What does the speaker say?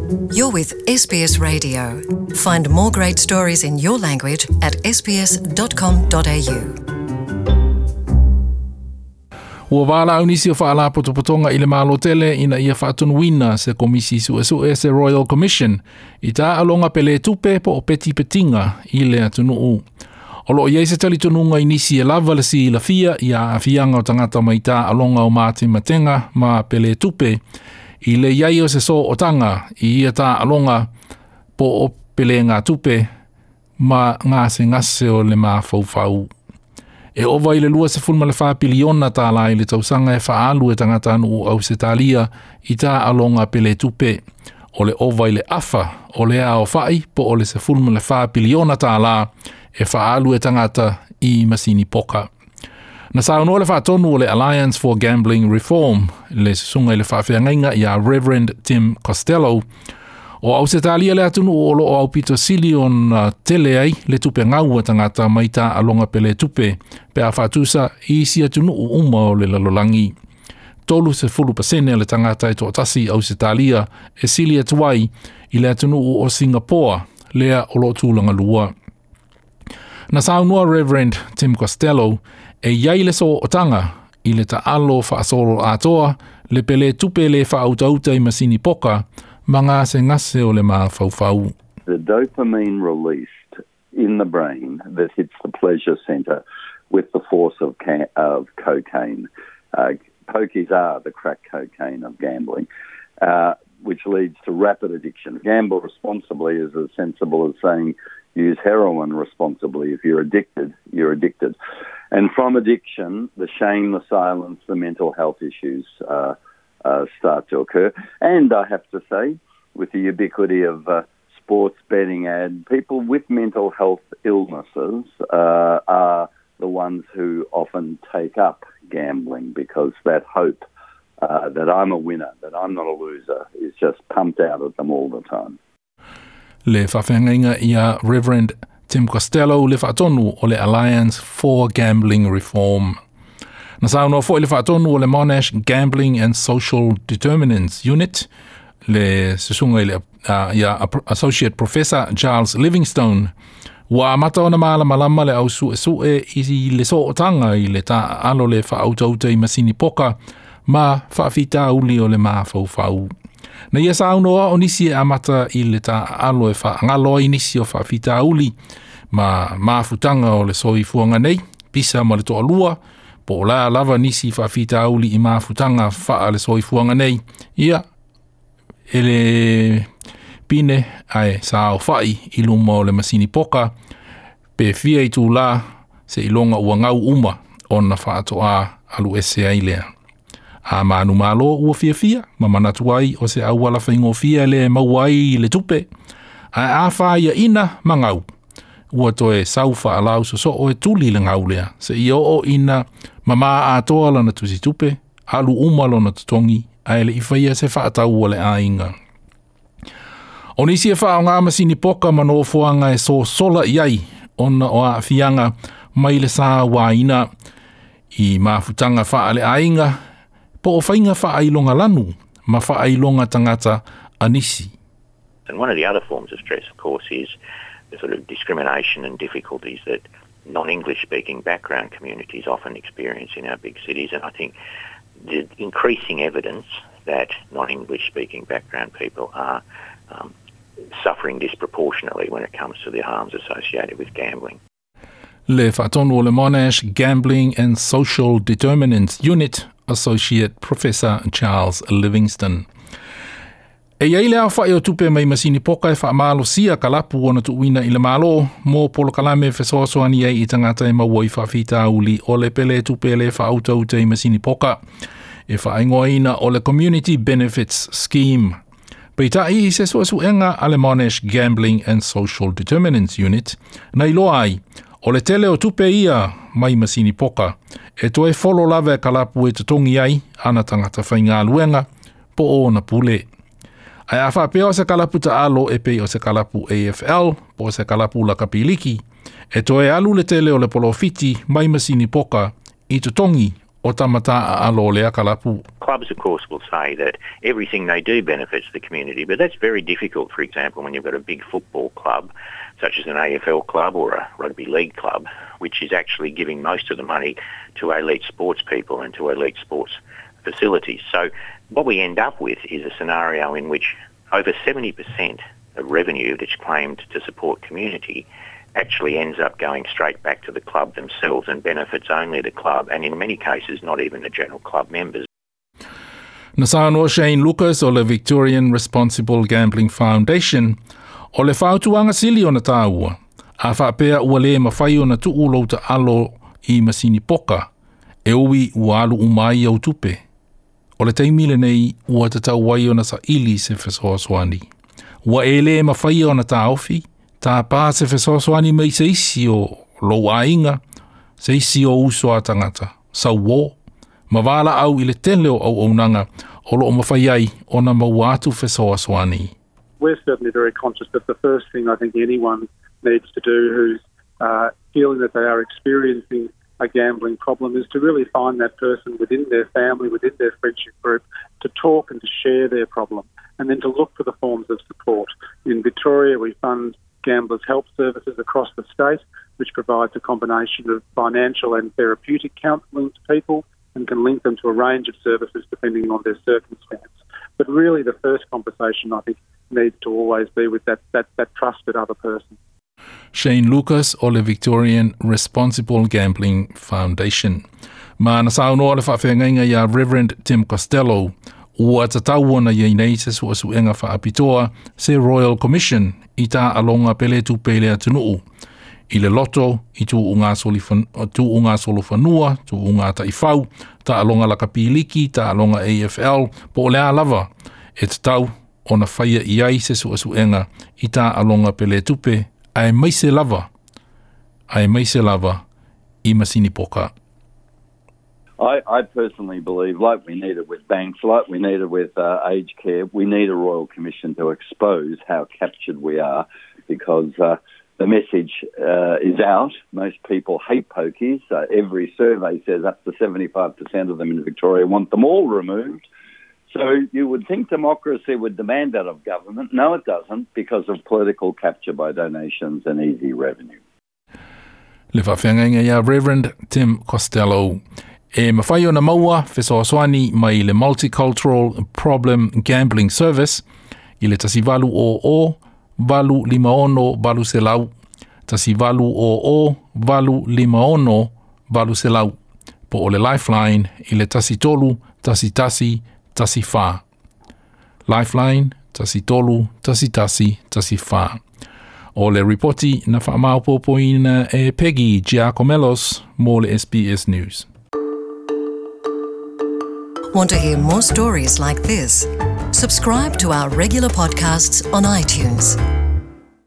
You're with SBS Radio. Find more great stories in your language at sbs.com.au. Ua valaau nisi o faalapotopotoga i le Malo tele ina ia faatonuina se Komisi Suesue se Royal Commission i taaloga pele tupe po o petipetiga i le atunuu. O loo i ai se talitonuga i nisi e lava le silafia i aafiaga o tagata mai taaloga o matematega ma pele tupe i le iai o se sootaga i ia taaloga po o pelega tupe ma gasegase o le mafaufau. E ova i le 24 piliona tālā i le tausaga e faaalu e tagatanuu Ausetalia i taaloga pele tupe. O le ova i le afa o le aofa'i po o le 14 piliona tālā e faaalu e tagata i masini poka. Na saunoa le faatonu o le Alliance for Gambling Reform, le susuga i le faafeagaiga ia Reverend Tim Costello, o Ausetalia le atunuu o loo aupito sili ona tele ai le tupe gau a tagata mai taaloga pele tupe pe a faatusa i isi atunuu uma o le lalolagi. 30% le tagata e toatasi Ausetalia e sili atu ai i le atunuu o Singapoa, lea o loo tulaga lua. Na saunoa Reverend Tim Costello e iai le sootaga i le taalo faasolo atoa le pele tupe le faautauta i masini poka ma gasegase o le mafaufau. The dopamine released in the brain that hits the pleasure center with the force of cocaine. Pokies are the crack cocaine of gambling, which leads to rapid addiction. Gamble responsibly is as sensible as saying use heroin responsibly. If you're addicted, you're addicted. And from addiction, the shame, the silence, the mental health issues start to occur. And I have to say, with the ubiquity of sports betting ad, people with mental health illnesses are the ones who often take up gambling because that hope that I'm a winner, that I'm not a loser, is just pumped out at them all the time. Le faafeagaiga ia Reverend Tim Costello, le faatonu o le Alliance for Gambling Reform. Na saunoa foi le faatonu o le Monash Gambling and Social Determinants Unit, le susuga i le ia Associate Professor Charles Livingstone, ua amata ona malamalama le au suesue i le sootaga i le taaalo le faautauta i masini poka ma faafitauli o le mafaufau. Na ia saunoa o nisi e amata i le taaalo e faagalo ai nisi o faafitauli ma mafutaga o le soifuaga nei, pisa ma le toalua, po o la lava nisi faafitauli i mafutaga faa le soifuaga nei, ia e le pine ae saofa'i i luma o le masini poka pe fia itulā seiloga ua gau uma ona faatoā alu ese ai lea. A manumalo ua fiafia ma manatu ai o se auala faigofie le maua ai le tupe, ae a fāiaʻina ma gau ua toe sau faalau sosoo e tuli le gau lea seia oo ina mamā atoa lana tusitupe, alu uma lona totogi ae leʻi faia se faatau a le aiga. O nisi e faaaogā masini poka ma nofoaga e sosola i ai ona o aafiaga mai le sauāina i mafutaga faaleaiga po o faiga faailoga lanu ma faailoga tagata a nisi. And one of the other forms of stress, of course, is the sort of discrimination and difficulties that non-English speaking background communities often experience in our big cities. And I think the increasing evidence that non-English speaking background people are suffering disproportionately when it comes to the harms associated with gambling. Le faatonu o le Monash Gambling and Social Determinants Unit, Associate Professor Charles Livingston. E iai le aofa'i o tupe mai masini poka e faamalosia kalapu ona tuuina i le Malo mo polokalame e fesoasoani ai i tagata e maua i faafitauli o le pele tupe le faautauta i masini poka e faaigoaina o le Community Benefits Scheme. Peitai i se suesuega a le Monash Gambling and Social Determinants Unit, na iloa ai, o le tele o tupe ia mai masini poka, e toe folo lava e kalapu e totogi ai ana tagata faigaluega po o ona pule. Ae a faapea o se kalapu taalo e pei o se kalapu AFL po o se kalapu lakapiliki, e toe alu le tele o le polofiti mai masini poka i totogi o tamata a'alo o lea kalapu. Clubs, of course, will say that everything they do benefits the community, but that's very difficult, for example, when you've got a big football club, such as an AFL club or a rugby league club, which is actually giving most of the money to elite sports people and to elite sports facilities. So what we end up with is a scenario in which over 70% of revenue that's claimed to support community actually ends up going straight back to the club themselves and benefits only the club and in many cases not even the general club members. Na saunoa Shane Lucas o le Victorian Responsible Gambling Foundation o le fautuaga sili ona tāua. A faapea ua lē mafai ona tuu lou taalo i masini poka, e ui ua alu uma ai au tupe. O le taimi lenei ua tatau ai ona saili se fesoasoani. Ua e lē mafai ona taofi, tāpā se fesoasoani mai se isi o lou aiga, se isi o uso a tagata, sauō, ma valaau i le tele o auaunaga o loo mafai ai ona maua atu fesoasoani. We're certainly very conscious that the first thing I think anyone needs to do who's feeling that they are experiencing a gambling problem is to really find that person within their family, within their friendship group, to talk and to share their problem, and then to look for the forms of support. In Victoria, we fund Gamblers Help Services across the state, which provides a combination of financial and therapeutic counselling to people and can link them to a range of services depending on their circumstance. But really, the first conversation, I think, needs to always be with that trusted other person. Shane Lucas o le Victorian Responsible Gambling Foundation. Ma na saunoa le faafeagaiga iā Reverend Tim Costello ua tatau ona iai nei se suesuega faapitoa se Royal Commission i taaloga peletupe i le atunuu. I le loto, i tuuga solofanua, tuuga taifau, taaloga lakapiliki, taaloga AFL, po o le a lava, e tatau ona faia i ai se suesuega i taaloga peletupe, aemaise lava i masini poka. I personally believe, like we need it with banks, like we need it with aged care, we need a royal commission to expose how captured we are, because the message is out. Most people hate pokies. Every survey says up to 75% of them in Victoria want them all removed. So you would think democracy would demand that of government. No, it doesn't, because of political capture by donations and easy revenue. Le faafeagaiga iā Reverend Tim Costello. E mafai ona maua fesoasoani mai le Multicultural Problem Gambling Service i le 1800 856 800 1800 856 800 po o le Lifeline i le 13 11 14. Lifeline 13 11 14. O le ripoti na faamaopoopoina e Peggy Giakoumelos mo le SBS News. Want to hear more stories like this? Subscribe to our regular podcasts on iTunes.